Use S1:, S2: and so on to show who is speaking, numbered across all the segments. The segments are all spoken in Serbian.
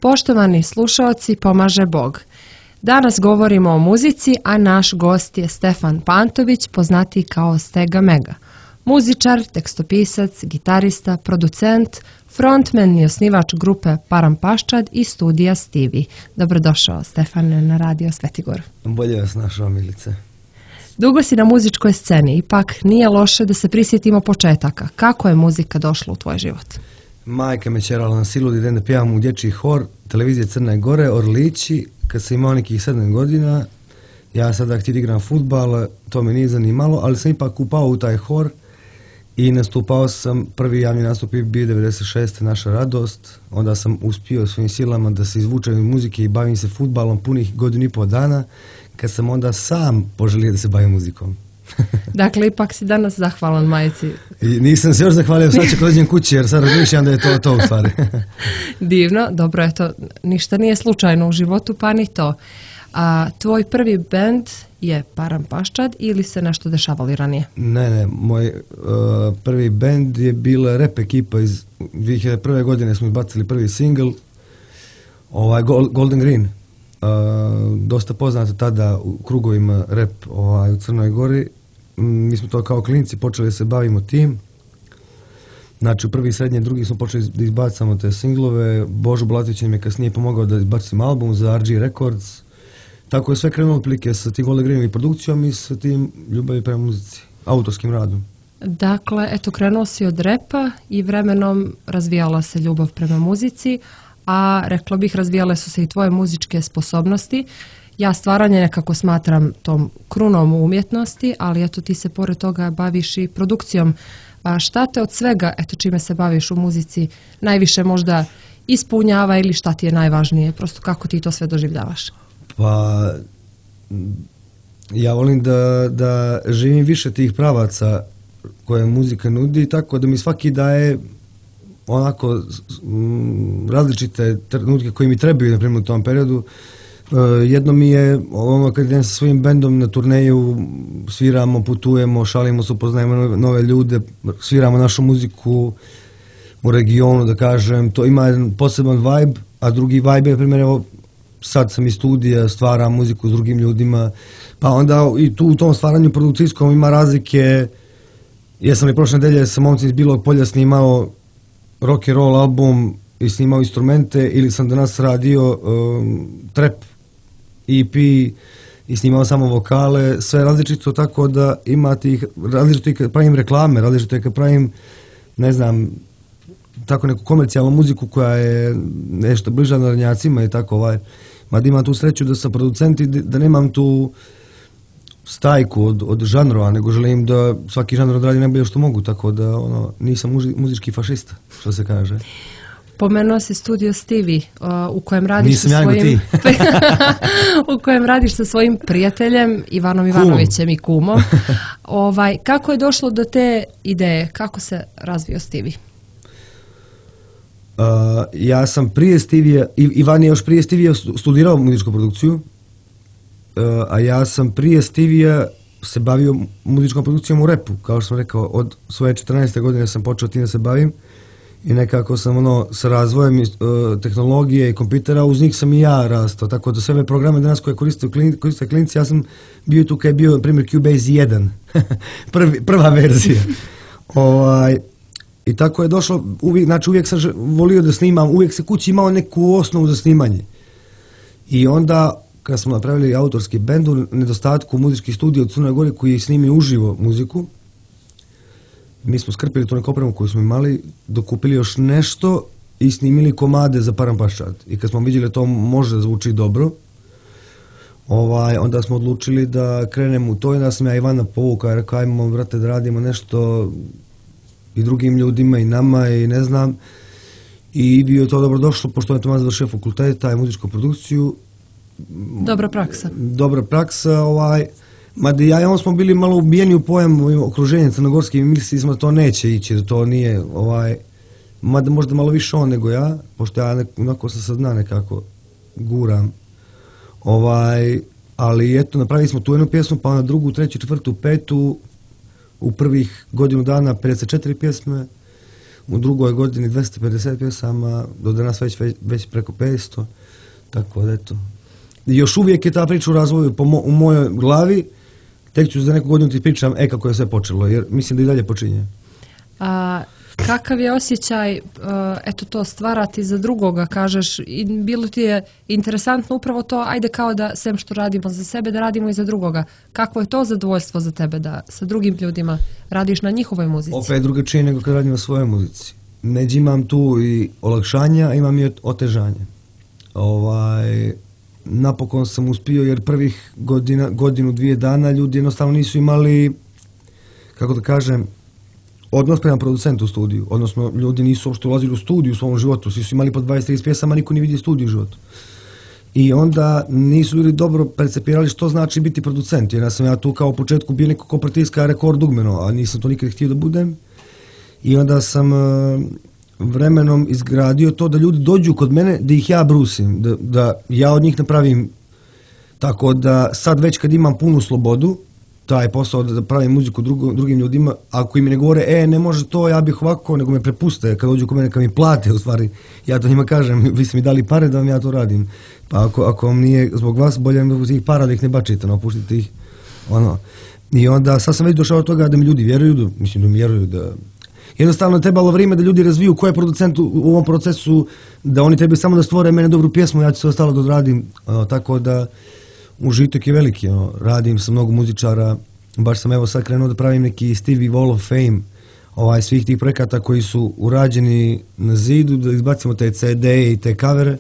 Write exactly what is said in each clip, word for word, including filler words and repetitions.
S1: Poštovani slušaoci, pomaže Bog. Danas govorimo o muzici, a naš gost je Stefan Pantović, poznatiji kao Stega Mega. Muzičar, tekstopisac, gitarista, producent, frontman i osnivač grupe Param Paščad i studija Stivi. Dobrodošao, Stefane, na radio Svetigor.
S2: Bolje vas našao, Milice.
S1: Dugo si na muzičkoj sceni, ipak nije loše da se prisjetimo početaka. Kako je muzika došla u tvoj život?
S2: Majka me čerala na silu da idem da pjevam u dječji hor, televizije Crne Gore, Orlići, kad sam imao nekih sedam godina. Ja sada htio igram fudbal, to me nije zanimalo, ali sam ipak upao u taj hor i nastupao sam, prvi javni nastup je bio devedeset šeste Naša radost. Onda sam uspio svojim silama da se izvučem iz muzike i bavim se fudbalom punih godinu i pol dana, kad sam onda sam poželio da se bavim muzikom.
S1: Dakle, ipak si danas zahvalan majici.
S2: I nisam se još zahvalio, sad ću kad dođem kući, jer sad razmišljam da je to to u stvari.
S1: Divno, dobro je to, ništa nije slučajno u životu, pa ni to. A tvoj prvi bend je Param Paščad ili se nešto dešavalo ranije?
S2: Ne, ne, moj uh, prvi bend je bila rap ekipa iz dvije hiljade prve godine, smo izbacili prvi single, ovaj, Golden Green. Uh, dosta poznato tada u krugovima rap ovaj, u Crnoj Gori. Mi smo to kao klinci počeli da se bavimo tim. Znači u prvi, srednji, drugi smo počeli da izbacamo te singlove. Božo Blatović nam je kasnije pomogao da izbacim album za R G Records. Tako je sve krenulo otprilike sa tim Golden Greenom i produkcijom i sa tim ljubavi prema muzici, autorskim radom.
S1: Dakle, eto, krenuo si od repa i vremenom razvijala se ljubav prema muzici, a rekla bih razvijale su se i tvoje muzičke sposobnosti. Ja stvaranje nekako smatram tom krunom umjetnosti, ali eto ti se pored toga baviš i produkcijom. A šta te od svega, eto čime se baviš u muzici, najviše možda ispunjava ili šta ti je najvažnije? Prosto kako ti to sve doživljavaš?
S2: Pa, ja volim da, da živim više tih pravaca koje muzika nudi, tako da mi svaki daje onako m, različite trenutke koji mi trebaju, na primjer, u tom periodu. Uh, jedno mi je ono kad idem sa svojim bendom na turneju, sviramo, putujemo, šalimo se, upoznajemo nove, nove ljude, sviramo našu muziku u regionu, da kažem, to ima jedan poseban vibe, a drugi vibe je, na primjer, evo, sad sam iz studija, stvaram muziku s drugim ljudima, pa onda i tu u tom stvaranju produkcijskom ima razlike. Ja sam i prošle nedelje sa momcem iz Bilog Polja snimao rock and roll album i snimao instrumente, ili sam danas radio um, trap E P i snimao samo vokale, sve različito, tako da ima tih različito i kad pravim reklame, različito i kad pravim, ne znam, tako neku komercijalnu muziku koja je nešto bliža narodnjacima i tako ovaj. Mada imam tu sreću da sam producent i da nemam tu stajku od, od žanrova, nego želim da svaki žanr odradi najbolje što mogu, tako da ono, nisam muži, muzički fašista, što se kaže.
S1: Pomenuo si studio Stivi, uh, u kojem radiš
S2: Nisam
S1: sa
S2: ja
S1: svojim u kojem radiš sa svojim prijateljem Ivanom Ivanovićem i kumom. Ovaj, kako je došlo do te ideje? Kako se razvio Stivi?
S2: Uh, ja sam prije Stivija, Ivan je još prije Stivija studirao muzičku produkciju, uh, a ja sam prije Stivija se bavio muzičkom produkcijom u repu, kao što sam rekao, od svoje četrnaeste godine sam počeo tim da se bavim i nekako sam ono sa razvojem uh, tehnologije i kompjutera, uz njih sam i ja rastao, tako da sve ove programe danas koje koriste, klin, koriste klinci, ja sam bio tu kad je bio, na primjer, Cubase jedan, Prvi, prva verzija. ovaj I tako je došlo, uvijek, znači uvijek sam volio da snimam, uvijek se kući imao neku osnovu za snimanje. I onda, kad smo napravili autorski bend, u nedostatku muzičkih studija u Crnoj Gori koji snimi uživo muziku, mi smo skrpili tu neku opremu koju smo imali, dokupili još nešto i snimili komade za Param Paščad. I kad smo vidjeli to može zvuči dobro, ovaj, onda smo odlučili da krenemo u to i da sam ja Ivana povukao i rekao, ajmo, brate, da radimo nešto i drugim ljudima i nama i ne znam. I bio je to dobro došlo, pošto je Tomas završio fakulteta i muzičku produkciju.
S1: Dobra praksa.
S2: Dobra praksa, ovaj, mada ja i on smo bili malo ubijeni u pojam okruženja crnogorskih i mislili smo da to neće ići, da to nije, ovaj, mada možda malo više on nego ja, pošto ja nek, onako sam sad zna nekako guram. Ovaj, ali eto, napravili smo tu jednu pjesmu, pa na drugu, treću, četvrtu, petu, u prvih godinu dana pedeset četiri pjesme, u drugoj godini dvesta pedeset pjesama, do danas već, već, već preko petsto, tako da eto. I još uvijek je ta priča u razvoju po mo, u mojoj glavi, tek ću za neku godinu ti pričam, e kako je sve počelo, jer mislim da i dalje počinje.
S1: A kakav je osjećaj, eto to stvarati za drugoga, kažeš, i bilo ti je interesantno upravo to, ajde kao da, sem što radimo za sebe, da radimo i za drugoga. Kakvo je to zadovoljstvo za tebe da sa drugim ljudima radiš na njihovoj muzici?
S2: Opet drugačije nego kad radim na svojoj muzici. Neđe imam tu i olakšanja, imam i otežanja. Ovaj, napokon sam uspio jer prvih godina, godinu, dvije dana ljudi jednostavno nisu imali, kako da kažem, odnos prema producentu u studiju, odnosno ljudi nisu uopšte ulazili u studiju u svom životu, svi su imali po dvadeset trideset pjesama, niko nije vidio studiju u životu. I onda nisu ljudi dobro percepirali što znači biti producent, jer ja sam ja tu kao u početku bio neko ko pritiska rekord dugmeno, a nisam to nikad htio da budem. I onda sam vremenom izgradio to da ljudi dođu kod mene, da ih ja brusim, da, da ja od njih napravim, tako da sad već kad imam punu slobodu, taj posao da pravim muziku drugo, drugim ljudima, ako im ne govore, e, ne može to, ja bih ovako, nego me prepuste, kad dođu kod mene, kad mi plate, u stvari, ja to njima kažem, vi ste mi dali pare da vam ja to radim, pa ako, ako vam nije zbog vas, bolje mi tih para da ih ne bačite, no, puštite ih, ono. I onda, sad sam već došao od toga da mi ljudi vjeruju, da, mislim da mi vjeruju da... Jednostavno trebalo vrijeme da ljudi razviju ko je producent u, u ovom procesu, da oni trebaju samo da stvore mene dobru pjesmu, ja ću sve ostalo da odradim, ono, tako da užitak je veliki, ono, radim sa mnogo muzičara, baš sam evo sad krenuo da pravim neki Stevie Wall of Fame, ovaj, svih tih projekata koji su urađeni na zidu, da izbacimo te ce de i te kavere,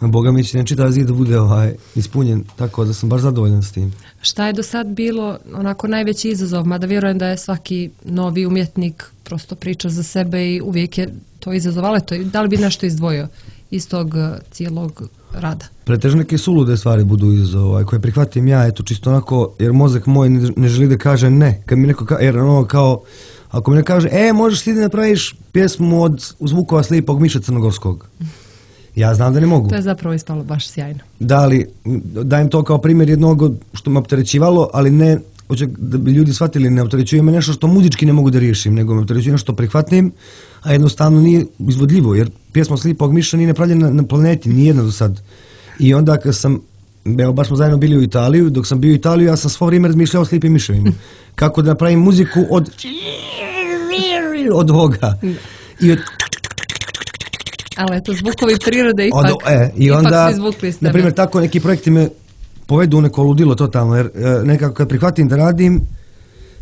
S2: Boga mi će ne čitav zid da bude ovaj, ispunjen, tako da sam baš zadovoljan s tim.
S1: Šta je do sad bilo onako najveći izazov, mada vjerujem da je svaki novi umjetnik prosto priča za sebe i uvijek je to izazov, ali to, da li bi nešto izdvojio iz tog cijelog rada?
S2: Pretežno neke sulude stvari budu izazov, ovaj, koje prihvatim ja, eto čisto onako, jer mozak moj ne, ne želi da kaže ne, kad mi neko kaže, jer ono kao, ako mi ne kaže, e, možeš ti da napraviš pjesmu od zvukova Slipog Miša Crnogorskog. Ja znam da ne mogu.
S1: To je zapravo ispalo baš sjajno.
S2: Da, ali dajem to kao primjer jednog što me opterećivalo, ali ne, hoće da bi ljudi shvatili, ne opterećuje me nešto što muzički ne mogu da riješim, nego me opterećuje nešto što prihvatim, a jednostavno nije izvodljivo, jer pjesma Slipog Miša nije napravljena na planeti, nijedna do sad. I onda kad sam, evo baš smo zajedno bili u Italiju, dok sam bio u Italiju, ja sam svo vrijeme razmišljao o Slipim miševima. Kako da napravim muziku od od ovoga. I od...
S1: Ali eto, zvukovi prirode ipak,
S2: od, e, i onda,
S1: ipak su izvukli s tebe.
S2: Na primjer, tako neki projekti me povedu u neko ludilo totalno, jer e, nekako kad prihvatim da radim,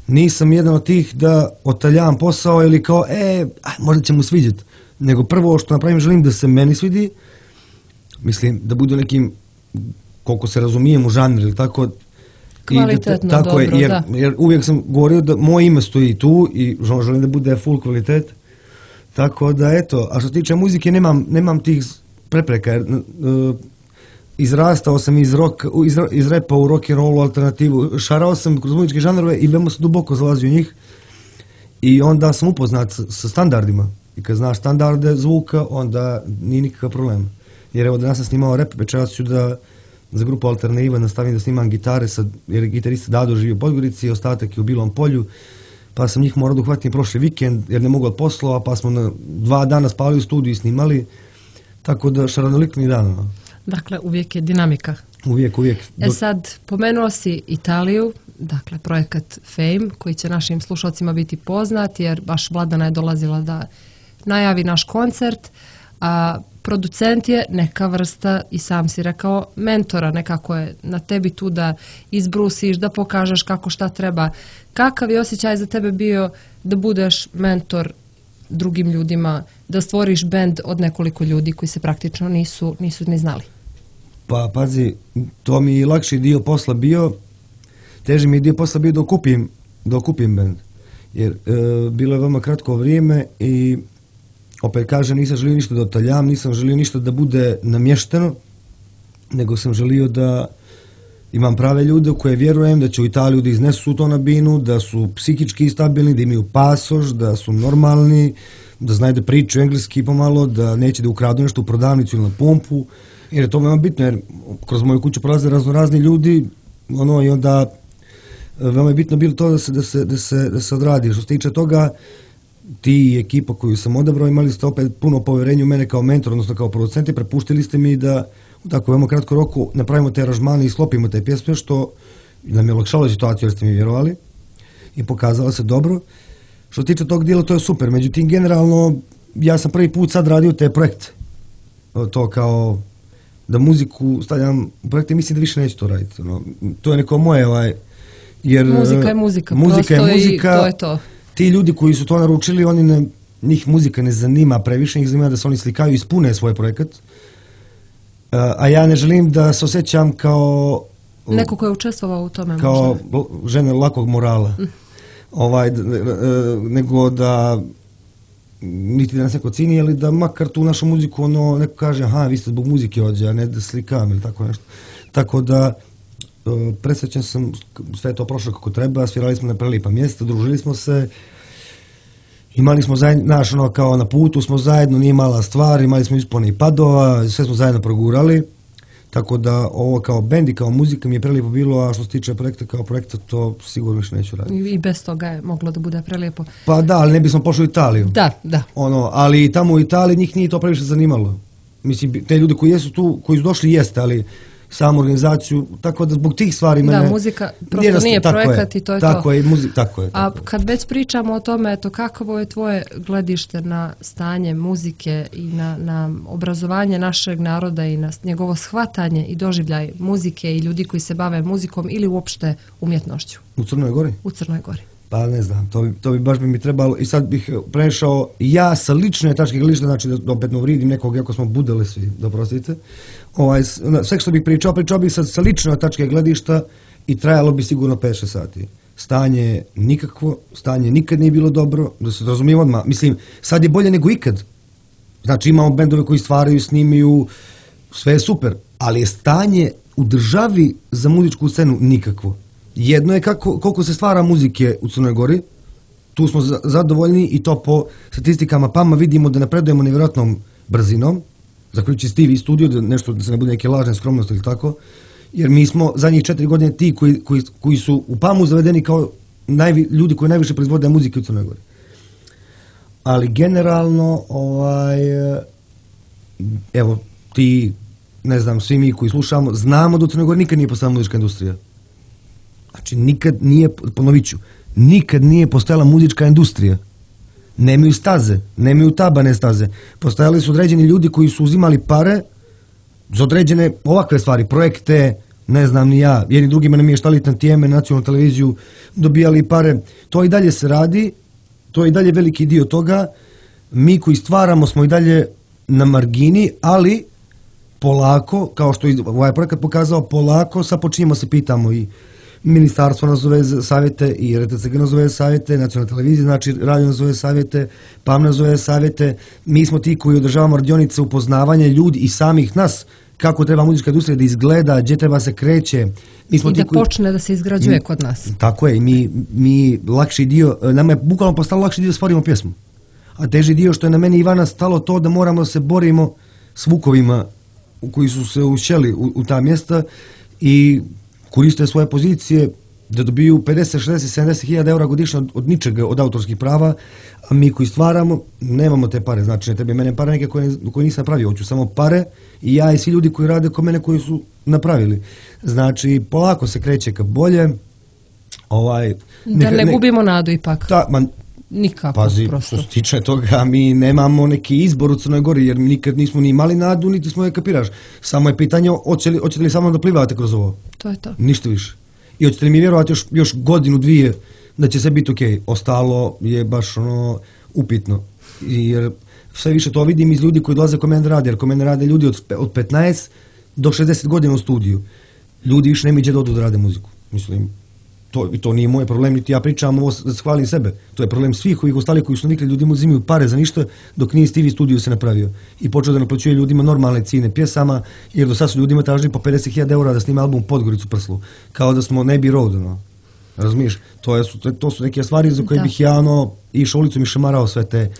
S2: nisam jedan od tih da otaljavam posao ili kao, e, aj, možda će mu sviđati. Nego prvo što napravim, želim da se meni svidi, mislim, da budu nekim, koliko se razumijem u žanr ili tako,
S1: kvalitetno,
S2: i da, tako
S1: dobro,
S2: je, jer,
S1: da.
S2: Jer uvijek sam govorio da moje ime stoji tu i želim da bude full kvalitet. Tako da, eto, a što se tiče muzike, nemam, nemam tih prepreka, jer uh, izrastao sam iz, rock, iz, iz repa u rock and rollu alternativu, šarao sam kroz muzičke žanrove i veoma sam duboko zalazio u njih i onda sam upoznat sa, sa standardima. I kad znaš standarde zvuka, onda nije nikakav problem. Jer evo danas sam snimao rap, večeras ću da za grupu Alternativa nastavim da snimam gitare, sad, jer gitarista Dado živi u Podgorici, ostatak je u Bilom Polju, pa sam njih morao da uhvatim prošli vikend, jer ne mogu od poslova, pa smo na dva dana spali u studiju i snimali, tako da šaranolikni dan. No.
S1: Dakle, uvijek je dinamika.
S2: Uvijek, uvijek.
S1: E sad, pomenuo si Italiju, dakle, projekat Fame, koji će našim slušalcima biti poznat, jer baš Vladana je dolazila da najavi naš koncert, a producent je neka vrsta, i sam si rekao, mentora, nekako je na tebi tu da izbrusiš, da pokažeš kako šta treba. Kakav je osjećaj za tebe bio da budeš mentor drugim ljudima, da stvoriš bend od nekoliko ljudi koji se praktično nisu, nisu ni znali?
S2: Pa, pazi, to mi je lakši dio posla bio, teži mi je dio posla bio da okupim, da okupim bend. Jer e, bilo je veoma kratko vrijeme i opet kažem, nisam želio ništa da otaljam, nisam želio ništa da bude namješteno, nego sam želio da imam prave ljude u koje vjerujem da će u Italiju da iznesu to na binu, da su psihički stabilni, da imaju pasoš, da su normalni, da znaju da pričaju engleski pomalo, da neće da ukradu nešto u prodavnicu ili na pumpu, jer je to veoma bitno, jer kroz moju kuću prolaze razno razni ljudi, ono, i onda veoma je bitno bilo to da se, da se, da se, da se odradi. Što se tiče toga, ti i ekipa koju sam odabrao imali ste opet puno poverenja u mene kao mentor, odnosno kao producent i prepuštili ste mi da u tako veoma kratkom roku napravimo te aranžmane i sklopimo te pjesme, što nam je olakšalo situaciju jer ste mi vjerovali i pokazalo se dobro. Što se tiče tog dijela, to je super. Međutim, generalno, ja sam prvi put sad radio te projekte. To kao da muziku stavljam u projekte, mislim da više neću to raditi. No, to je neko moje, ovaj, jer
S1: muzika je muzika,
S2: muzika je muzika,
S1: to je to.
S2: Ti ljudi koji su to naručili, oni ne, njih muzika ne zanima previše, njih zanima da se oni slikaju i ispune svoj projekat. A ja ne želim da se osjećam kao
S1: neko ko je učestvovao u tome
S2: kao
S1: možda.
S2: Žene lakog morala. Mm. Ovaj, nego da niti da nas neko cini, ali da makar tu našu muziku ono, neko kaže, aha, vi ste zbog muzike ovdje, a ne da slikam ili tako nešto. Tako da presrećan sam, sve to prošlo kako treba, svirali smo na prelipa mjesta, družili smo se, imali smo zajedno, znaš, ono, kao na putu smo zajedno, nije mala stvar, imali smo ispone i padova, sve smo zajedno progurali, tako da ovo kao bend i kao muzika mi je prelijepo bilo, a što se tiče projekta kao projekta, to sigurno više neću raditi.
S1: I bez toga je moglo da bude prelijepo.
S2: Pa da, ali ne bismo pošli u Italiju.
S1: Da, da.
S2: Ono, ali tamo u Italiji njih nije to previše zanimalo. Mislim, te ljudi koji jesu tu, koji su došli jeste, ali samu organizaciju, tako da zbog tih stvari mene...
S1: Da, muzika prosto nije, nije projekat i to je
S2: tako
S1: to.
S2: Je, muzi, tako je. Tako
S1: A kad već pričamo o tome, eto, kakvo je tvoje gledište na stanje muzike i na, na obrazovanje našeg naroda i na njegovo shvatanje i doživljaj muzike i ljudi koji se bave muzikom ili uopšte umjetnošću?
S2: U Crnoj Gori?
S1: U Crnoj Gori.
S2: Pa ne znam, to bi, to bi baš bi mi trebalo i sad bih prešao ja sa lične tačke gledišta, znači da opet ne uvrijedim nekog, jako smo budeli svi, da prostite. Ovaj, sve što bih pričao, pričao bih sad sa lične tačke gledišta i trajalo bi sigurno pet šest sati. Stanje nikakvo, stanje nikad nije bilo dobro, da se razumijem odmah. Mislim, sad je bolje nego ikad. Znači imamo bendove koji stvaraju, snimaju, sve je super, ali je stanje u državi za muzičku scenu nikakvo. Jedno je kako, koliko se stvara muzike u Crnoj Gori, tu smo zadovoljni i to po statistikama P A M-a vidimo da napredujemo nevjerojatnom brzinom, zaključi s T V studio, da nešto da se ne bude neke lažne skromnosti ili tako, jer mi smo zadnjih četiri godine ti koji, koji, koji su u P A M-u zavedeni kao najvi, ljudi koji najviše proizvode muzike u Crnoj Gori. Ali generalno, ovaj, evo, ti, ne znam, svi mi koji slušamo, znamo da u Crnoj Gori nikad nije postala muzička industrija. Znači, nikad nije, ponovit ću, nikad nije postojala muzička industrija. Nemaju staze, nemaju tabane staze. Postojali su određeni ljudi koji su uzimali pare za određene ovakve stvari, projekte, ne znam ni ja, jedni drugima namještali tantijeme, nacionalnu televiziju, dobijali pare. To i dalje se radi, to je i dalje veliki dio toga. Mi koji stvaramo smo i dalje na margini, ali polako, kao što je ovaj projekat pokazao, polako, sad počinjemo se pitamo i ministarstvo nazove savjete i R T C G nazove savjete, nacionalna televizija, znači radio nazove savjete, P A M nazove savjete. Mi smo ti koji održavamo radionice upoznavanja ljudi i samih nas kako treba muzička industrija da izgleda, gdje treba se kreće. Mi smo
S1: I
S2: ti
S1: da
S2: koji...
S1: počne da se izgrađuje mi, kod nas.
S2: Tako je, mi, mi lakši dio, nama je bukvalno postalo lakši dio da stvorimo pjesmu. A teži dio što je na meni Ivana stalo to da moramo da se borimo s vukovima koji su se ušćeli u, u ta mjesta i koriste svoje pozicije da dobiju pedeset, šezdeset, sedamdeset hiljada eura godišnje od, od ničega, od autorskih prava, a mi koji stvaramo, nemamo te pare. Znači, ne tebi mene pare neke koje, koje nisam napravio, hoću samo pare i ja i svi ljudi koji rade kod mene koji su napravili. Znači, polako se kreće ka bolje. Ovaj,
S1: da ne, ne gubimo nadu ipak.
S2: Ta, man,
S1: Nikako,
S2: pazi,
S1: prosto.
S2: što se tiče toga, mi nemamo neki izbor u Crnoj Gori, jer nikad nismo ni imali nadu, niti smo je kapiraš. Samo je pitanje, hoćete li, hoćete li samo da plivate kroz ovo?
S1: To je to.
S2: Ništa više. I hoćete li mi vjerovati još, još godinu, dvije, da će sve biti okej. Okay. Ostalo je baš ono upitno. Jer sve više to vidim iz ljudi koji dolaze kod mene rade, jer kod mene rade ljudi od, od petnaest do šezdeset godina u studiju. Ljudi više nema gdje da odu da rade muziku. Mislim, to, to nije moj problem, niti ja pričam ovo da se hvalim sebe. To je problem svih ovih ostali koji su navikli, ljudi mu uzimaju pare za ništa, dok nije Stevie studio se napravio. I počeo da naplaćuje ljudima normalne cijene pjesama, jer do sad su ljudima tražili po pedeset hiljada eura da snima album Podgoricu Prslu. Kao da smo Abbey Road, no. Razumiješ? To, je, to, to su neke stvari za koje da. bih ja ono, išao ulicom i šamarao sve te,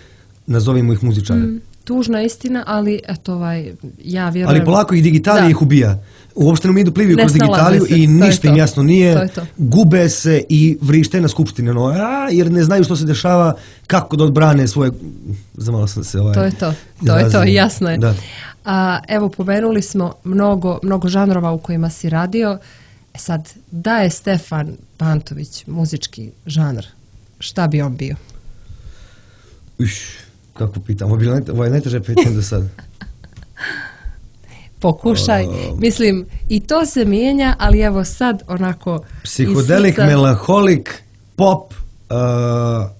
S2: nazovimo ih muzičare. Mm.
S1: tužna istina, ali eto ovaj, ja vjerujem...
S2: Ali polako ih digitalija ih ubija. Uopšte nam idu pliviju kroz digitaliju i ništa im jasno nije. Gube se i vrište na skupštine. No, a, jer ne znaju što se dešava, kako da odbrane svoje... Zamalo sam se ovaj...
S1: To je to. To je to, jasno je. Da. A, evo, pomenuli smo mnogo, mnogo žanrova u kojima si radio. E sad, da je Stefan Pantović muzički žanr, šta bi on bio?
S2: Uš, kako pitam, ovo je najteže pitanje do sad.
S1: Pokušaj, uh, mislim, i to se mijenja, ali evo sad onako...
S2: Psihodelik, srca... melanholik, pop, uh,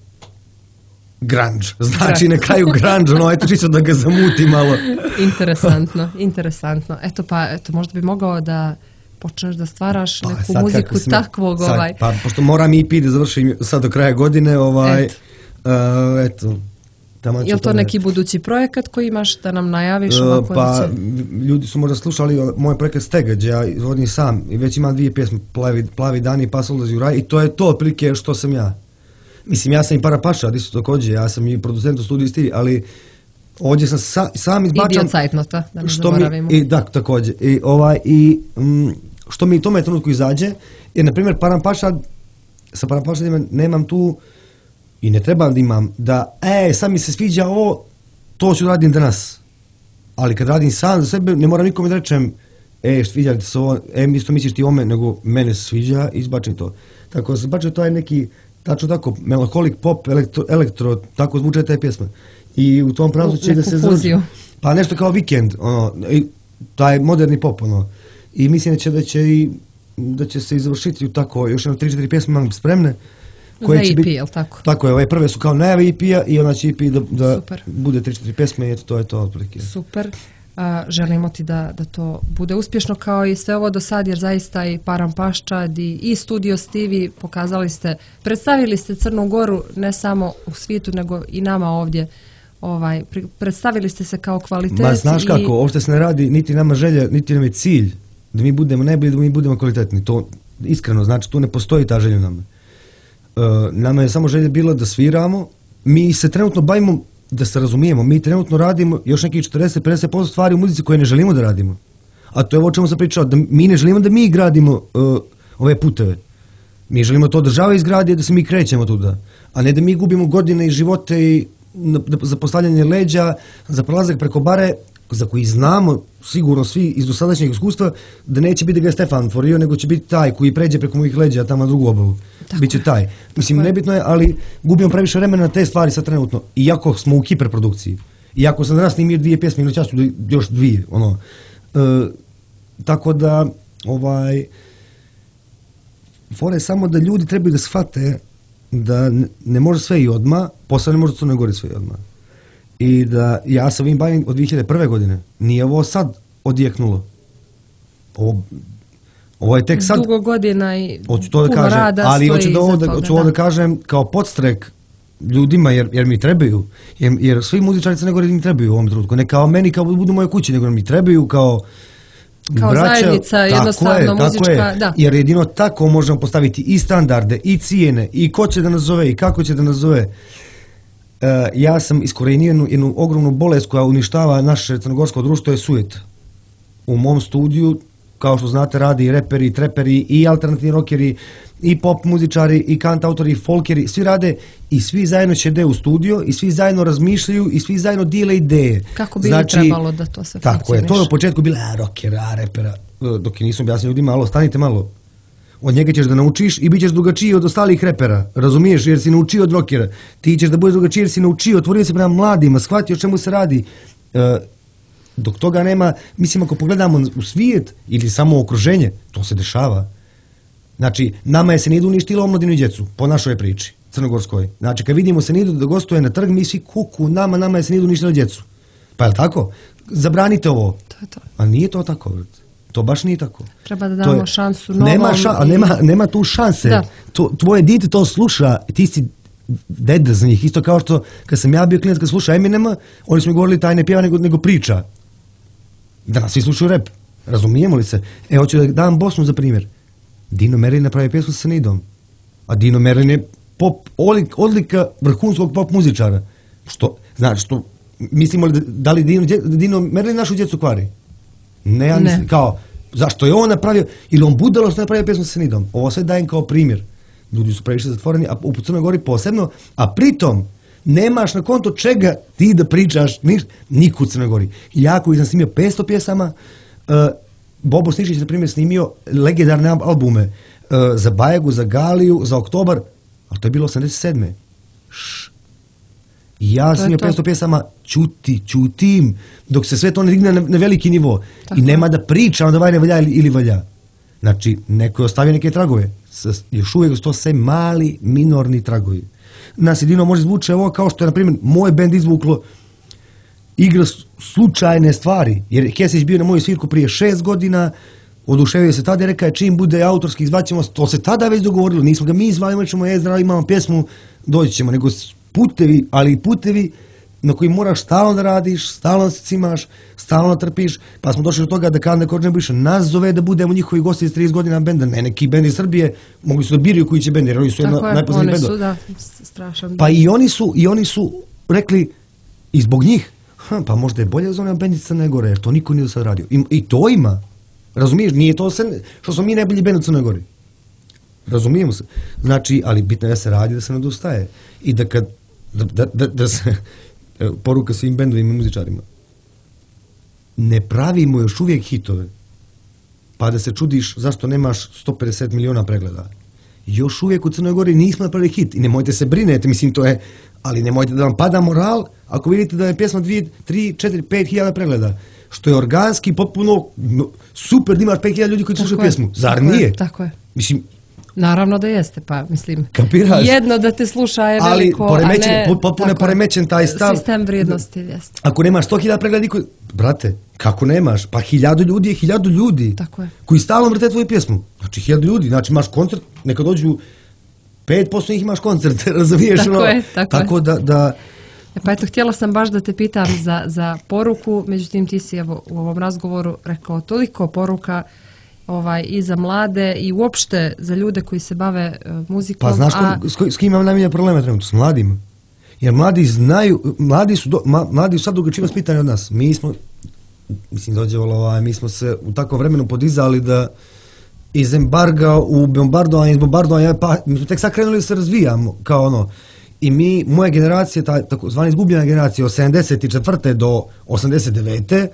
S2: grunge. Znači na kraju grunge, ono, eto čisto da ga zamuti malo.
S1: Interesantno, interesantno. Eto pa, eto, možda bi mogao da počneš da stvaraš pa, neku muziku smo, takvog,
S2: sad,
S1: ovaj...
S2: Pa, pošto moram E P da završim sad do kraja godine, ovaj, eto... Uh, eto
S1: je li to neki budući projekat koji imaš da nam najaviš?
S2: Uh, pa, ljudi su možda slušali moj projekat Stegađ, ja izvodim sam i već imam dvije pjesme, Plavi, Plavi dani i Pas odlazi u raj i to je to otprilike što sam ja. Mislim, ja sam i Parapaša, isto također, ja sam i producent u studiju Stili, ali ovdje sam sa, sam izbačam...
S1: Idio Cajtnota, da ne zaboravimo.
S2: I, da, također. I, ovaj, i m, što mi u tome trenutku izađe, jer, na primjer, Parapaša, sa Parapaša nemam tu i ne trebam da imam da, e, sad mi se sviđa ovo, to ću radim danas. Ali kad radim sam za sebe, ne moram nikome da rečem, e, sviđa ti se ovo, e, isto misliš ti ome, nego mene se sviđa, izbačim to. Tako da se izbačim, to je neki, tačno tako, melancholik pop, elektro, elektro tako zvuče te pjesme. I u tom pravcu će da se završi. Pa nešto kao Vikend, ono, taj moderni pop, ono. I mislim da će, da će, i, da će se izvršiti u tako, još jedno tri četiri pjesme imam spremne.
S1: Za E P, je li tako?
S2: Tako je, ove prve su kao najave E P-a i onda će E P da, da bude tri četiri pjesme i eto, to je to otprilike.
S1: Super. A, želimo ti da, da to bude uspješno kao i sve ovo do sad, jer zaista i Param Paščad i, i Studio Stivi pokazali ste, predstavili ste Crnu Goru ne samo u svijetu, nego i nama ovdje. Ovaj, predstavili ste se kao kvalitet.
S2: Ma znaš i... kako, uopšte se ne radi niti nama želja, niti nam je cilj da mi budemo najbolji, da mi budemo kvalitetni. To iskreno, znači tu ne postoji ta želja nama. Uh, nama je samo želje bilo da sviramo, mi se trenutno bavimo, da se razumijemo, mi trenutno radimo još nekih četrdeset do pedeset posto stvari u muzici koje ne želimo da radimo. A to je o čemu sam pričao, da mi ne želimo da mi gradimo uh, ove puteve. Mi želimo to država izgradi, da se mi krećemo tuda. A ne da mi gubimo godine i živote i na, za postavljanje leđa, za prelazak preko bare, za koji znamo sigurno svi iz dosadašnjeg iskustva da neće biti da ga je Stefan tvorio, nego će biti taj koji pređe preko mojih leđa tamo na drugu obalu. Biće taj. Mislim, tako nebitno je, ali gubimo previše vremena na te stvari sad trenutno. Iako smo u hiperprodukciji. Iako sam danas snimio dvije pjesme, ili času još dvije. Ono. E, tako da, ovaj, fora je samo da ljudi trebaju da shvate da ne, ne može sve i odmah, posle ne može to ne gori sve i odmah. I da ja sam ovim bavim od dvije hiljade prve. godine. Nije ovo sad odjeknulo. Ovo, ovo je tek sad...
S1: Dugo godina i
S2: hoću to da
S1: puno
S2: kažem,
S1: rada
S2: ali
S1: stoji
S2: hoću da ovo da,
S1: toga,
S2: hoću ovo da kažem kao podstrek ljudima, jer, jer mi trebaju. Jer, jer svi muzičari Crne Gore mi trebaju u ovom trenutku. Ne kao meni, kao budu moje kući, nego mi trebaju kao...
S1: Kao
S2: braća,
S1: zajednica, jednostavno
S2: je,
S1: muzička,
S2: je.
S1: Da.
S2: Jer jedino tako možemo postaviti i standarde, i cijene, i ko će da nas zove, i kako će da nas zove. Uh, ja sam iskorenio jednu, jednu ogromnu bolest koja uništava naše crnogorsko društvo, je sujet. U mom studiju, kao što znate, radi i reperi, i treperi, i alternativni rockeri, i pop muzičari, i kantautori, i folkeri, svi rade i svi zajedno ćede u studio i svi zajedno razmišljaju i svi zajedno dijele ideje.
S1: Kako bi znači, trebalo da to se funkcioniš?
S2: Tako je, to je u početku bilo, a rockera, a repera, dok je nisam objasnio ljudima, alo, stanite malo. Od njega ćeš da naučiš i bit ćeš drugačiji od ostalih repera, razumiješ, jer si naučio od rockera. Ti ćeš da budeš drugačiji jer si naučio, otvorio se prema mladima, shvatio o čemu se radi. E, dok toga nema, mislim, ako pogledamo u svijet ili samo u okruženje, to se dešava. Znači, nama je Senidu uništilo omladinu i djecu, po našoj priči, crnogorskoj. Znači, kad vidimo Senidu da gostuje na trg, mi svi kuku, nama, nama je Senidu uništilo djecu. Pa je li tako? Zabranite ovo.
S1: To je to.
S2: A nije to tako, to baš nije tako.
S1: Treba da damo je, šansu novom.
S2: Nema, ša,
S1: i...
S2: nema, nema tu šanse. Da. To, tvoje dite to sluša, ti si deda za njih. Isto kao što, kad sam ja bio klinac, kad sluša Eminema, oni su mi govorili taj ne pjeva nego, nego priča. Danas svi slušaju rap. Razumijemo li se? E, hoću da dam Bosnu za primjer. Dino Merlin napravi pjesmu sa Senidom. A Dino Merlin je pop, odlika vrhunskog pop muzičara. Što, znači, što mislimo li da li Dino, Dino Merlin našu djecu kvari? Ne, ja mislim, ne. Kao, zašto je on napravio, ili on budalo što napravio pesmu sa Senidom. Ovo sve dajem kao primjer. Ljudi su previše zatvoreni, a u Crnoj Gori posebno, a pritom nemaš na konto čega ti da pričaš, niš, niko u Crnoj Gori. Ja koji sam snimio petsto pjesama, uh, Bobo Snišić na primjer snimio legendarne albume uh, za Bajagu, za Galiju, za Oktobar, ali to je bilo osamdeset sedme. Šš. Ja sam snimio petsto pjesama, čuti, čutim, dok se sve to ne digne na, na veliki nivo. Tako. I nema da pričam da ovaj ne valja ili, ili valja. Znači, neko je ostavio neke tragove. S, još uvijek su to sve mali, minorni tragovi. Nas jedino može zvuče ovo kao što je, na primjer, moj bend izvuklo igra slučajne stvari. Jer Kesić bio na moju svirku prije šest godina, oduševio se tada i rekao je čim bude autorski izvaćemo, to se tada već dogovorilo, nismo ga mi izvali, ćemo je zdravo, imamo pjesmu, doći ćemo, nego putevi, ali i putevi na koji moraš stalno da radiš, stalno da se cimaš, stalno da trpiš, pa smo došli do toga da Kanda Korđan više nas zove da budemo njihovi gosti iz trideset godina benda, ne neki bend iz Srbije, mogli su da biraju koji će bend, jer oni su jedna najpoznatijih bendova.
S1: Tako je, oni su, da, strašan.
S2: Pa i oni su, i oni su rekli, i zbog njih, ha, pa možda je bolje da zovem bend iz Crne Gore, jer to niko nije do sad radio. I, i to ima, razumiješ, nije to sve, što smo mi najbolji bend u Crnoj Gori. Razumijemo se. Znači, ali bitno je da se radi, da se ne odustaje. I da kad, da, da, da, da se, poruka svim bendovima i muzičarima, ne pravimo još uvijek hitove, pa da se čudiš zašto nemaš sto pedeset miliona pregleda. Još uvijek u Crnoj Gori nismo napravili hit i nemojte se brinete, mislim to je, ali nemojte da vam pada moral ako vidite da je pjesma dvije, tri, četiri, pet hiljada pregleda, što je organski potpuno no, super da imaš pet hiljada ljudi koji slušaju pjesmu. Zar
S1: tako
S2: nije?
S1: Je, tako je.
S2: Mislim,
S1: naravno da jeste, pa mislim,
S2: kapiraš?
S1: Jedno da te sluša je veliko,
S2: ali poremećen,
S1: a ne...
S2: potpuno je poremećen taj stav.
S1: Sistem vrijednosti, jeste.
S2: Ako nemaš sto hiljada pregleda, niko... brate, kako nemaš? Pa hiljadu ljudi je hiljadu ljudi.
S1: Tako je.
S2: Koji stalno vrte tvoju pjesmu. Znači hiljadu ljudi, znači imaš koncert, neka dođu pet posto njih imaš koncert, razumiješ?
S1: Tako
S2: ono?
S1: je, tako,
S2: tako
S1: je.
S2: da... da
S1: E pa eto, htjela sam baš da te pitam za, za poruku, međutim ti si evo, u ovom razgovoru rekao toliko poruka ovaj, i za mlade i uopšte za ljude koji se bave uh, muzikom.
S2: Pa znaš
S1: a...
S2: ko, s, s kim imam najmanje problema trenutno? S mladima. Jer mladi znaju, mladi su, do, ma, mladi su sad drugačije vaspitani od nas. Mi smo, mislim dođevalo, ovaj, mi smo se u takvom vremenu podizali da iz embarga u bombardovanje, iz bombardovanja, pa mi smo tek sad krenuli da se razvijamo, kao ono. I mi, moja generacija, ta takozvana izgubljena generacija od sedamdeset četvrte do osamdeset devete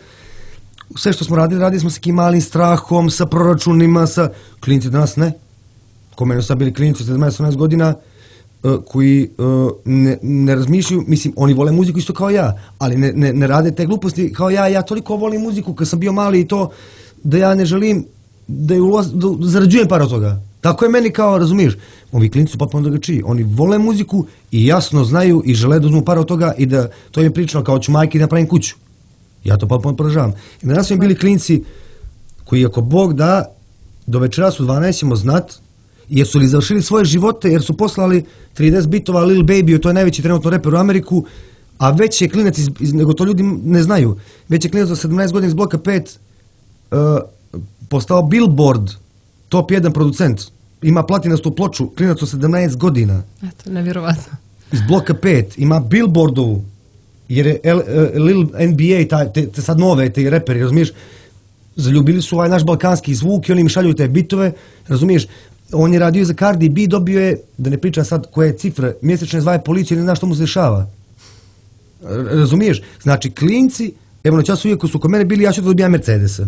S2: sve što smo radili, radili smo sa nekim malim strahom, sa proračunima, sa klinci danas ne. Ko mene su bili klinici od sedamnaest osamnaest godina uh, koji uh, ne, ne razmišljaju, mislim, oni vole muziku isto kao ja, ali ne, ne, ne rade te gluposti kao ja, ja toliko volim muziku kad sam bio mali i to, da ja ne želim da, je uloz, da zarađujem par od toga. Tako je meni kao, razumiješ, ovi klinici su potpuno drugačiji, oni vole muziku i jasno znaju i žele da uzmu par od toga i da to im je pričano kao ću majke da napravim kuću. Ja to potpuno podržavam. I danas su bili klinci koji ako Bog da, do večeras u dvanaest ćemo znat, jer su li završili svoje živote, jer su poslali trideset bitova Lil Baby, to je najveći trenutno reper u Ameriku, a već je klinac, iz, iz, nego to ljudi ne znaju, već je klinac za sedamnaest godina iz bloka pet uh, postao Billboard, top jedan producent. Ima platinastu ploču, klinac od sedamnaest godina.
S1: Eto, nevjerovatno.
S2: Iz bloka pet, ima Billboardovu, jer je L, uh, Lil N B A, ta, te, te sad nove, te reperi, razumiješ, zaljubili su ovaj naš balkanski zvuk i oni mi šalju te bitove, razumiješ, on je radio za Cardi B, dobio je, da ne pričam sad koje cifre, mjesečne zvaje policiju, ne zna što mu se dešava. Razumiješ? Znači, klinci, evo na času uvijek su kod mene bili, ja ću da dobijam Mercedesa.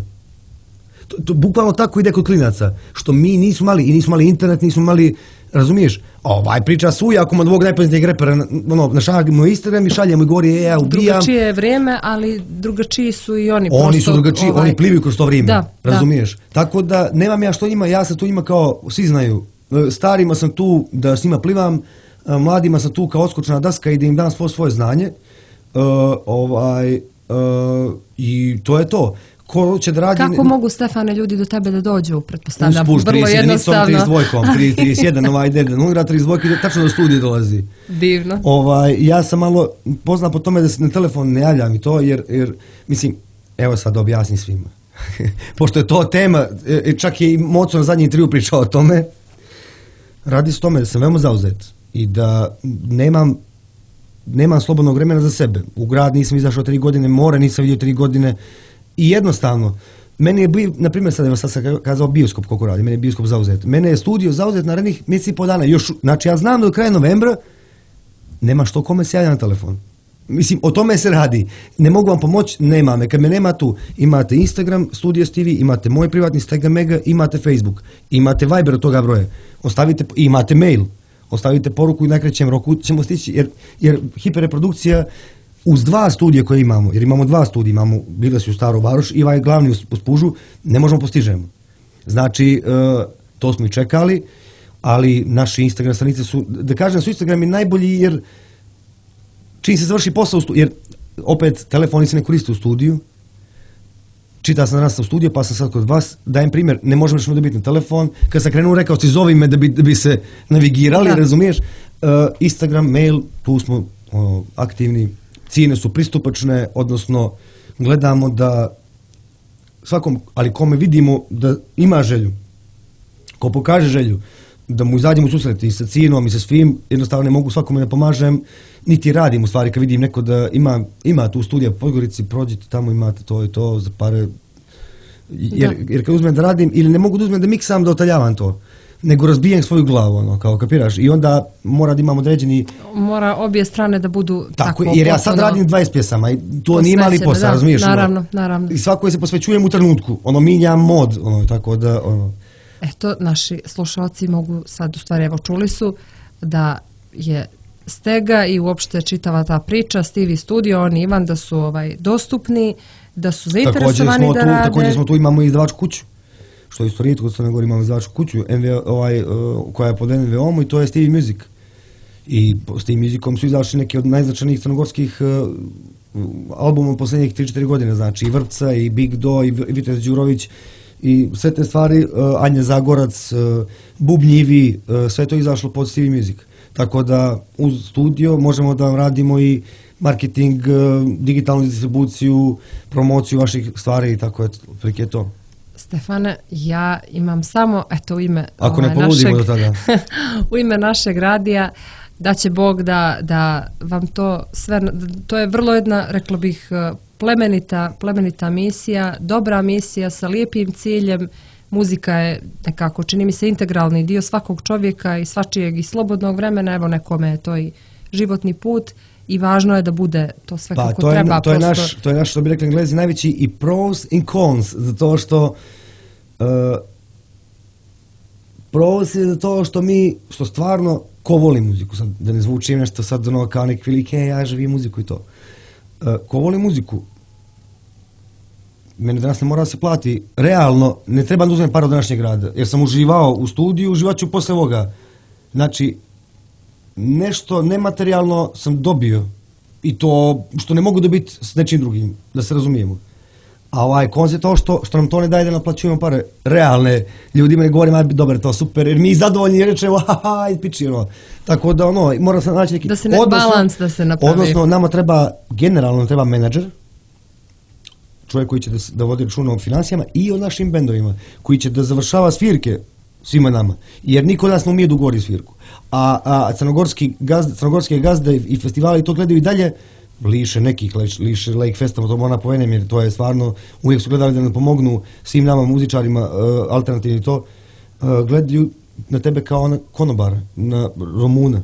S2: To, to bukvalno tako ide kod klinaca, što mi nismo mali, i nismo mali internet, nismo mali, razumiješ, ovaj priča suja, ako ima dvog najpoznatijeg repera, ono, našaljamo Instagram i šaljamo i govori, e, ja ubijam.
S1: Drugačije je vrijeme, ali drugačiji su i oni.
S2: Oni
S1: prosto,
S2: su drugačiji, ovaj... oni plivaju kroz to vrijeme,
S1: da,
S2: razumiješ.
S1: Da.
S2: Tako da, nemam ja što njima, ja sam tu njima kao, svi znaju, starima sam tu da s njima plivam, mladima sam tu kao odskočna daska i da im dam svo svoje znanje, uh, ovaj, uh, i to je to. Ko će da radi...
S1: Kako mogu, Stefane, ljudi do tebe da dođu, pretpostavljam?
S2: Usput,
S1: vrlo jednostavno.
S2: trideset dva, trideset jedan, ovaj ide, nugra trideset dva, tačno do studije dolazi.
S1: Divno.
S2: Ovaj, ja sam malo poznat po tome da se na telefon ne javljam i to, jer, jer mislim, evo sad da objasnim svima. Pošto je to tema, čak je i Moco na zadnji intervju pričao o tome, radi se o tome da sam veoma zauzet i da nemam nemam slobodnog vremena za sebe. U grad nisam izašao tri godine, more nisam vidio tri godine i jednostavno, meni je bio, na primjer sad, evo sad sam kazao bioskop koliko radi, meni je bioskop zauzet. Mene je studio zauzet narednih mjesec i po dana. Još, znači ja znam da do kraja novembra nema što kome se javlja na telefon. Mislim, o tome se radi. Ne mogu vam pomoći, nema me. Kad me nema tu, imate Instagram, Studio S T V, imate moj privatni Stega Mega, imate Facebook, imate Viber od toga broja, ostavite, imate mail, ostavite poruku i u najkraćem roku ćemo stići, jer, jer hiperreprodukcija uz dva studija koje imamo, jer imamo dva studija, imamo Bile su u Staru Varoš i ovaj glavni u Spužu, ne možemo postižemo. Znači, uh, to smo i čekali, ali naši Instagram stranice su, da kažem da su Instagrami najbolji jer čim se završi posao u studiju, jer opet telefoni se ne koriste u studiju, čita sam danas u studiju, pa sam sad kod vas, dajem primjer, ne možemo što dobiti na telefon, kad sam krenuo rekao si zovi me da bi, da bi se navigirali, da. Razumiješ, uh, Instagram, mail, tu smo uh, aktivni, cijene su pristupačne, odnosno gledamo da svakom, ali kome vidimo da ima želju, ko pokaže želju, da mu izađem u susret i sa cijenom i sa svim, jednostavno ne mogu svakome da pomažem, niti radim u stvari kad vidim neko da ima, ima tu studija po Podgorici, prođite tamo, imate to i to za pare, jer, jer kad uzmem da radim, ili ne mogu da uzmem da miksam, da otaljavam to, nego razbijem svoju glavu, ono, kao kapiraš, i onda mora da imam određeni...
S1: Mora obje strane da budu tako,
S2: tako jer ja sad radim dvadeset pjesama i to nije mali posao, razumiješ?
S1: Naravno,
S2: ono,
S1: naravno.
S2: I svako se posvećujem u trenutku, ono, minjam mod, ono, tako da, ono...
S1: Eto, naši slušalci mogu sad, u stvari, evo čuli su da je Stega i uopšte čitava ta priča, Stevie Studio, on i Ivan, da su ovaj, dostupni, da su zainteresovani da
S2: tu,
S1: rade.
S2: Također smo tu, imamo i izdavačku kuću, što je isto rijetko, kod Crne Gore imamo izdavačku kuću, N V, ovaj, uh, koja je pod N V O-om i to je Stevie Music. I s tim Musicom su izašli neki od najznačajnijih crnogorskih uh, albuma posljednjih tri četiri godine, znači i Vrpca, i Big Do, i Vitez Đurović, i sve te stvari, uh, Anja Zagorac, uh, Bubnjivi, uh, sve to je izašlo pod Stevie Music. Tako da uz studio možemo da vam radimo i marketing, uh, digitalnu distribuciju, promociju vaših stvari i tako je, prilike to.
S1: Stefane, ja imam samo, eto u ime,
S2: Ako
S1: ovaj,
S2: ne poludimo
S1: našeg,
S2: do tada.
S1: u ime našeg radija, da će Bog da, da vam to sve, to je vrlo jedna, rekla bih, plemenita, plemenita misija, dobra misija sa lijepim ciljem. Muzika je nekako, čini mi se, integralni dio svakog čovjeka i svačijeg i slobodnog vremena, evo nekome je to i životni put i važno je da bude to sve pa, kako
S2: to je,
S1: treba.
S2: To je, naš, to je naš, što bi rekli Englezi, najveći i pros i cons, zato što uh, pros je zato što mi, što stvarno, ko voli muziku, sad, da ne zvučim nešto sad ono kao neki velike, ja živim muziku i to. Uh, ko voli muziku, mene danas ne mora da se plati, realno, ne treba da uzmem par od današnjeg rada, jer sam uživao u studiju, uživat ću posle ovoga. Znači, nešto nematerijalno sam dobio i to što ne mogu dobiti s nečim drugim, da se razumijemo. A ovaj koncept to što, što nam to ne daje da naplaćujemo pare realne, ljudima ne govorimo, aj dobar, to super, jer mi zadovoljni rečemo, haha, piči, ono. Tako da, ono, mora se naći neki...
S1: Da se ne, odnosno, balans da se napravi.
S2: Odnosno, nama treba, generalno treba menadžer, čovjek koji će da, da vodi računa o financijama i o našim bendovima, koji će da završava svirke svima nama, jer niko od nas ne umije da ugovori svirku. A, a crnogorski gazde, crnogorske gazde i festivali to gledaju i dalje, liše nekih, liše Lake Festival, to mora povedem, jer to je stvarno, uvijek su gledali da nam pomognu svim nama muzičarima, uh, alternativni to, uh, gledaju na tebe kao ona konobara, na Romuna.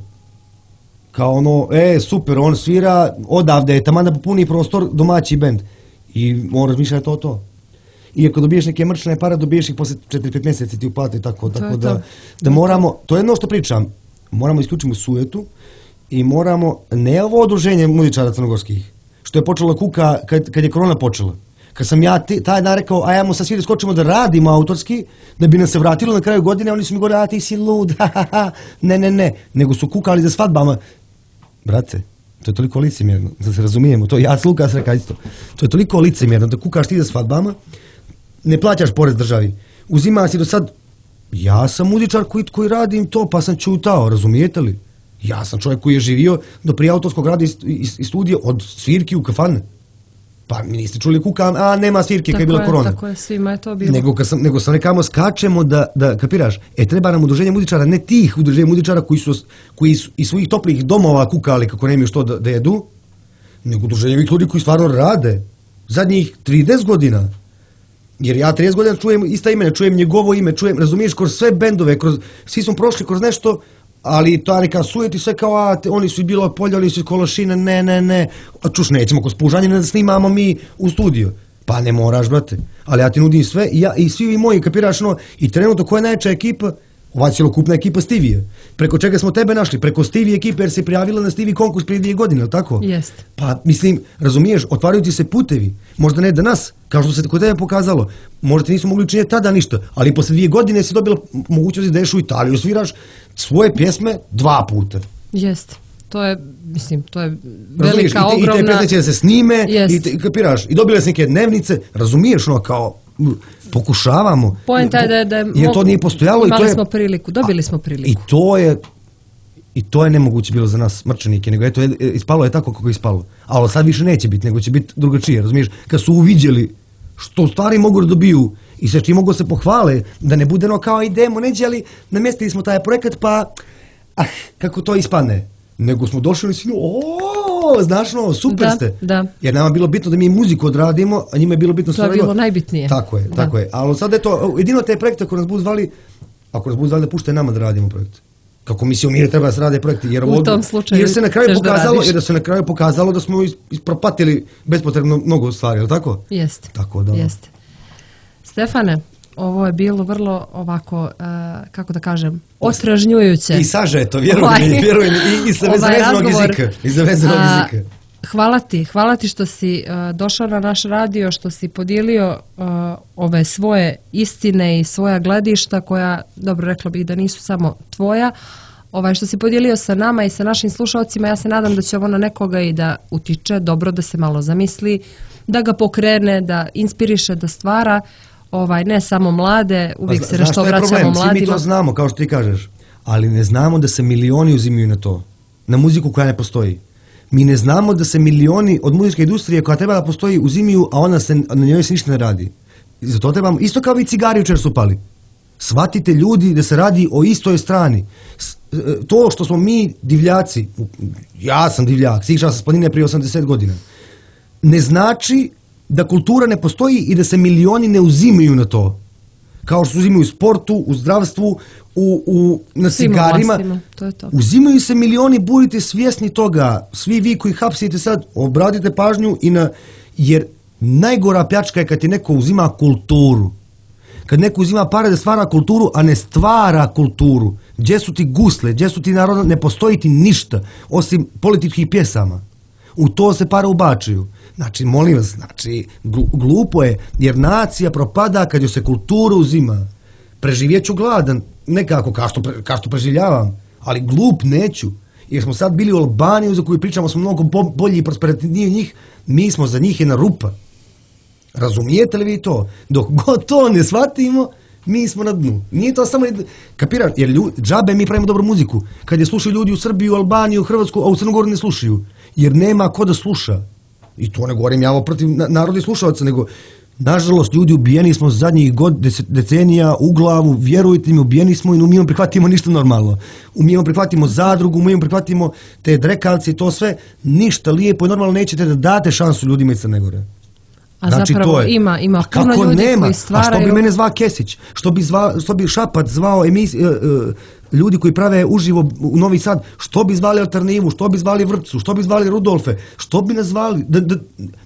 S2: Kao ono, e, super, on svira odavde, taman da popuni prostor domaći bend. I on razmišlja to to. I ako dobiješ neke mrčne pare, dobiješ ih posle četiri pet mjeseci ti uplati tako, tako to da, da moramo, to je jedno što pričam, moramo isključiti sujetu i moramo, ne ovo udruženje muzičara crnogorskih, što je počelo kuka kad, kad je korona počela. Kad sam ja ti, taj dan rekao, ajmo sad svi da skočimo da radimo autorski, da bi nam se vratilo na kraju godine, oni su mi govorili, a ti si lud, ha, ha, ha. ne, ne, ne, nego su kukali za svadbama. Brate, to je toliko licemjerno, da se razumijemo, to ja s Lukas reka isto, to je toliko licemjerno da kukaš ti za svadbama, ne plaćaš porez državi, uzima si do sad, ja sam muzičar koji, koji radim to, pa sam čutao, razumijete li? Ja sam čovjek koji je živio do prije autorskog rada i, i, i studija od svirki u kafane. Pa mi niste čuli kukam, a nema svirke kad je bila korona.
S1: Tako je, svima je to bilo.
S2: Nego, kad sam, nego sam rekamo, skačemo da, da, kapiraš, e treba nam udruženje muzičara, ne tih udruženja muzičara koji su, koji su iz svojih toplih domova kukali kako nemaju što da, da jedu, nego udruženje ovih ljudi koji stvarno rade zadnjih trideset godina. Jer ja trideset godina čujem ista imena, čujem njegovo ime, čujem, razumiješ, kroz sve bendove, kroz, svi smo prošli kroz nešto, ali ta neka sujeti sve kao, a, te, oni su i bilo polje, oni su iz Kološina, ne, ne, ne, a čuš, nećemo kroz Pužanjine da snimamo mi u studiju. Pa ne moraš, brate, ali ja ti nudim sve i, ja, i svi i moji, kapiraš, no, i trenutno koja je najjača ekipa, ova cjelokupna ekipa Stevie. Preko čega smo tebe našli? Preko Stevie ekipe, jer se prijavila na Stevie konkurs prije dvije godine, ili tako?
S1: Jest.
S2: Pa, mislim, razumiješ, otvaraju ti se putevi, možda ne danas, kao što se kod tebe pokazalo, možda ti nisu mogli učiniti tada ništa, ali posle dvije godine si dobila mogućnost da ideš u Italiju, sviraš svoje pjesme dva puta.
S1: Jest. To je, mislim, to je
S2: razumiješ,
S1: velika,
S2: i te,
S1: ogromna...
S2: I te pjesme će da se snime,
S1: jest.
S2: i te, kapiraš, i dobile se neke dnevnice, razumiješ, ono, kao... pokušavamo.
S1: Poenta je da je, da je
S2: jer to nije postojalo i to je,
S1: smo priliku, dobili smo priliku.
S2: I to je i to je nemoguće bilo za nas mrčanike, nego eto, ispalo je tako kako je ispalo. Ali sad više neće biti, nego će biti drugačije, razumiješ? Kad su uviđeli što stvari mogu da dobiju i sve čim mogu se pohvale, da ne bude no kao idemo, neđe, ali namestili smo taj projekat, pa ah, kako to ispadne. Nego smo došli i svi, o, znaš no, super
S1: da,
S2: ste.
S1: Da. Jer
S2: nama je bilo bitno da mi muziku odradimo, a njima je bilo bitno
S1: to je bilo najbitnije.
S2: Tako je,
S1: da.
S2: tako je. Ali sad je to, jedino te projekte ako nas budu zvali, ako nas budu zvali da puštaju nama da radimo projekt. Kako mi se umire treba da se rade projekti. Jer
S1: u tom slučaju
S2: jer se na kraju pokazalo,
S1: da
S2: jer da se na kraju pokazalo da smo ispropatili bespotrebno mnogo stvari, je li tako?
S1: Jeste.
S2: Tako da.
S1: Jeste. Stefane, ovo je bilo vrlo ovako, uh, kako da kažem, otražnjujuće.
S2: I sažeto, vjeruj mi, vjeruj mi, i, i sa vezanog jezika. I za vezanog jezika.
S1: Hvala ti, hvala ti što si uh, došao na naš radio, što si podijelio uh, ove svoje istine i svoja gledišta koja, dobro rekla bih da nisu samo tvoja, ovaj, što si podijelio sa nama i sa našim slušalcima. Ja se nadam da će ovo na nekoga i da utiče, dobro da se malo zamisli, da ga pokrene, da inspiriše, da stvara. Ovaj, ne samo mlade, uvijek
S2: pa,
S1: se nešto vraćamo mladima.
S2: Svi mi to znamo, kao što ti kažeš, ali ne znamo da se milioni uzimaju na to, na muziku koja ne postoji. Mi ne znamo da se milioni od muzičke industrije koja treba da postoji uzimaju, a ona se, na njoj se ništa ne radi. I zato trebamo, isto kao i cigari učer su pali. Shvatite ljudi da se radi o istoj strani. To što smo mi divljaci, ja sam divljak, sišao sam s planine prije osamdeset godina, ne znači da kultura ne postoji i da se milioni ne uzimaju na to. Kao što se uzimaju u sportu, u zdravstvu, u, u, na cigarima.
S1: To je to.
S2: Uzimaju se milioni, budite svjesni toga. Svi vi koji hapsite sad, obratite pažnju i na... Jer najgora pljačka je kad ti neko uzima kulturu. Kad neko uzima pare da stvara kulturu, a ne stvara kulturu. Gdje su ti gusle, gdje su ti naroda, ne postoji ti ništa, osim političkih pjesama. U to se pare ubačuju. Znači, molim vas, znači, glupo je, jer nacija propada kad joj se kultura uzima. Preživjet ću gladan, nekako, kao što, kao što preživljavam, ali glup neću. Jer smo sad bili u Albaniji, za koju pričamo, smo mnogo bolji i prosperativniji njih, mi smo za njih jedna rupa. Razumijete li vi to? Dok god to ne shvatimo, mi smo na dnu. Nije to samo, kapiraš, jer ljudi, džabe mi pravimo dobru muziku. Kad je slušaju ljudi u Srbiju, Albaniju, Hrvatsku, a u Crnogoru ne slušaju. Jer nema ko da sluša. I to ne govorim ja protiv narodnih slušalaca, nego nažalost ljudi ubijeni smo zadnjih god, decenija u glavu, vjerujte mi, ubijeni smo i umijemo prihvatimo ništa normalno. Umijemo prihvatimo zadrugu, umijemo prihvatimo te drekavce i to sve, ništa lijepo i normalno nećete da date šansu ljudima iz Crne Gore.
S1: A znači, zapravo ima, ima puno
S2: kako
S1: ljudi
S2: nema?
S1: koji stvaraju...
S2: A što bi mene zvao Kesić? Što bi, zva, što bi Šapat zvao emis, uh, uh, ljudi koji prave uživo u Novi Sad? Što bi zvali Alternativu? Što bi zvali Vrpcu? Što bi zvali Rudolfe? Što bi nas zvali? Da, da,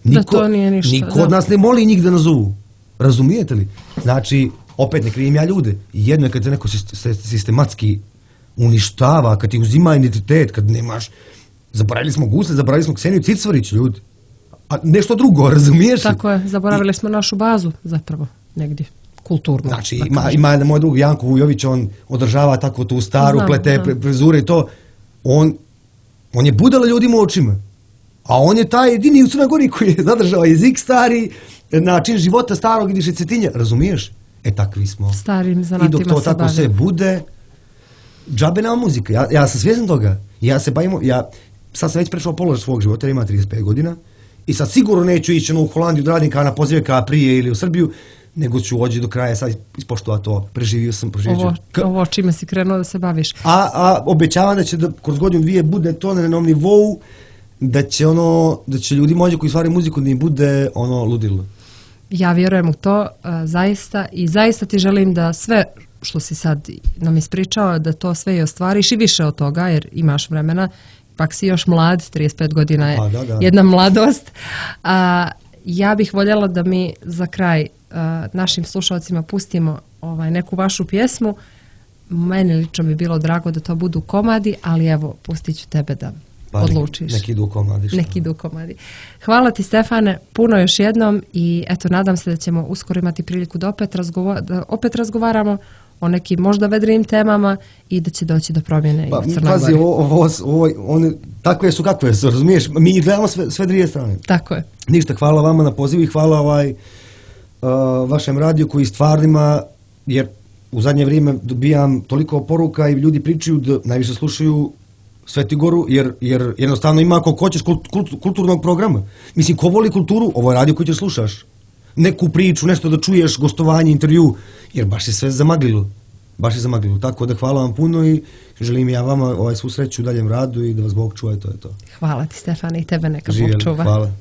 S2: niko,
S1: da to nije ništa.
S2: Niko od nas ne moli njih da nazovu. Razumijete li? Znači, opet ne krivim ja ljude. Jedno je kad se neko sistematski uništava, kad ti uzima identitet, kad nemaš... Zaboravili smo Gusle, zaboravili smo Kseniju Cicvarić, ljudi. A nešto drugo, razumiješ?
S1: Tako je, zaboravili smo našu bazu, zapravo, negdje, kulturno.
S2: Znači, ima, ima jedan moj drug, Janko Vujović, on održava tako tu staru, znam, plete pre, prezure i to. On, on je budala ljudima u očima. A on je taj jedini u Crnoj Gori koji je zadržao jezik stari, način života starog i diše cetinja, razumiješ? E, takvi smo.
S1: Starim zanatima se bavimo.
S2: I dok to tako sve bude, džabe nama muzika. Ja, ja sam svjestan toga. Ja se bavimo, ja sad sam već prešao položaj svog života, jer ima trideset pet godina. I sad sigurno neću ići u Holandiju da radim kao na pozive kao prije ili u Srbiju, nego ću ođi do kraja, sad ispoštovati to, preživio sam, preživio
S1: Ovo,
S2: ću.
S1: ovo čime si krenuo da se baviš.
S2: A, a obećavam da će da kroz godinu dvije bude to na jednom nivou, da će ono, da će ljudi mođe koji stvaraju muziku da im bude ono ludilo.
S1: Ja vjerujem u to, uh, zaista, i zaista ti želim da sve što si sad nam ispričao, da to sve i ostvariš i više od toga, jer imaš vremena, pak si još mlad, trideset pet godina je
S2: Pa, da, da.
S1: jedna mladost. A, ja bih voljela da mi za kraj a, našim slušalcima pustimo ovaj, neku vašu pjesmu. Meni lično bi bilo drago da to budu komadi, ali evo, pustit ću tebe da
S2: Pa,
S1: odlučiš.
S2: Neki idu komadi. Šta?
S1: Neki idu komadi. Hvala ti, Stefane, puno još jednom i eto, nadam se da ćemo uskoro imati priliku da opet, razgova- da opet razgovaramo o nekim možda vedrijim temama i da će doći do promjene
S2: Pa,
S1: i u Crnoj
S2: pazi,
S1: Gori.
S2: ovo, ovo, ovo, one, takve su kakve su, razumiješ? Mi gledamo sve, sve dvije strane.
S1: Tako je.
S2: Ništa, hvala vama na pozivu i hvala ovaj, uh, vašem radiju koji stvarno ima, jer u zadnje vrijeme dobijam toliko poruka i ljudi pričaju da najviše slušaju Svetigoru, jer, jer jednostavno ima ako hoćeš kult, kult, kulturnog programa. Mislim, ko voli kulturu, ovo je radio koji ćeš slušaš. Neku priču, nešto da čuješ, gostovanje, intervju, jer baš je sve zamaglilo. Baš je zamaglilo. Tako da hvala vam puno i želim ja vama ovaj, svu sreću u daljem radu i da vas Bog čuva i to je to.
S1: Hvala ti, Stefane, i tebe neka Bog
S2: Živjeli,
S1: čuva.
S2: hvala.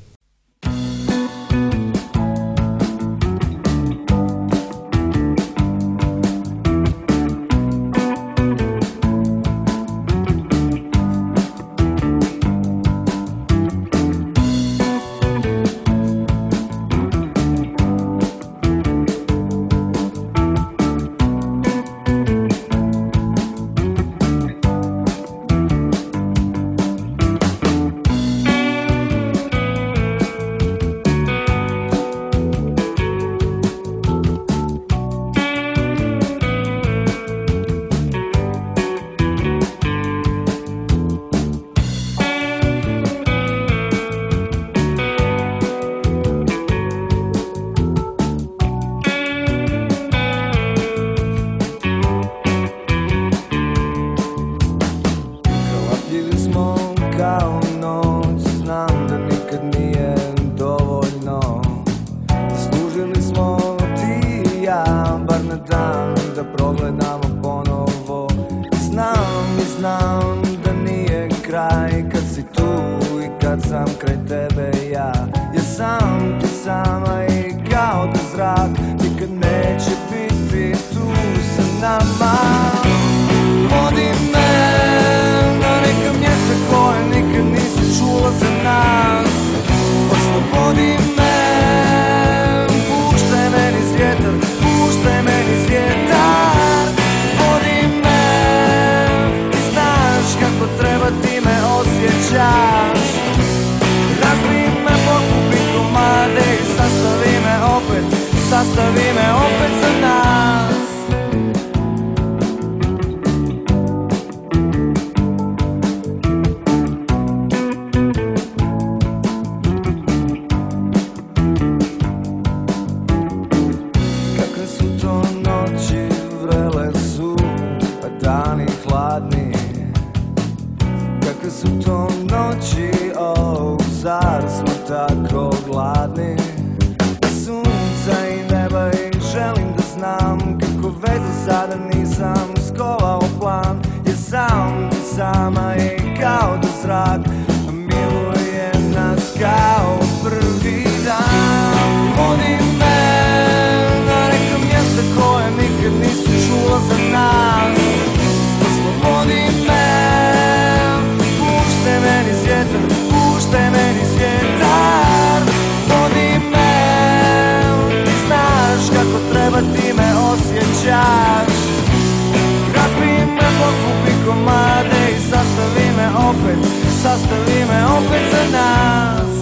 S3: Sastavi me opet za nas. Kakve su to noći, vrele su, a dani hladni. Kakve su to noći, oh, zar smo tako gladni? Sunca i neba i želim da znam kako veze sada nisam skovao plan. Jer sam ti sama i kao da zrak miluje nas kao prvi dan. Vodi me na neka mjesta koje nikad nisu čula za nas. Oslobodi me, puštaj meni svjetar, puštaj meni svjetar. Vodi me, kako treba ti me osjećaš. Razbij me, pokupi komade i sastavi me opet, sastavi me opet za nas.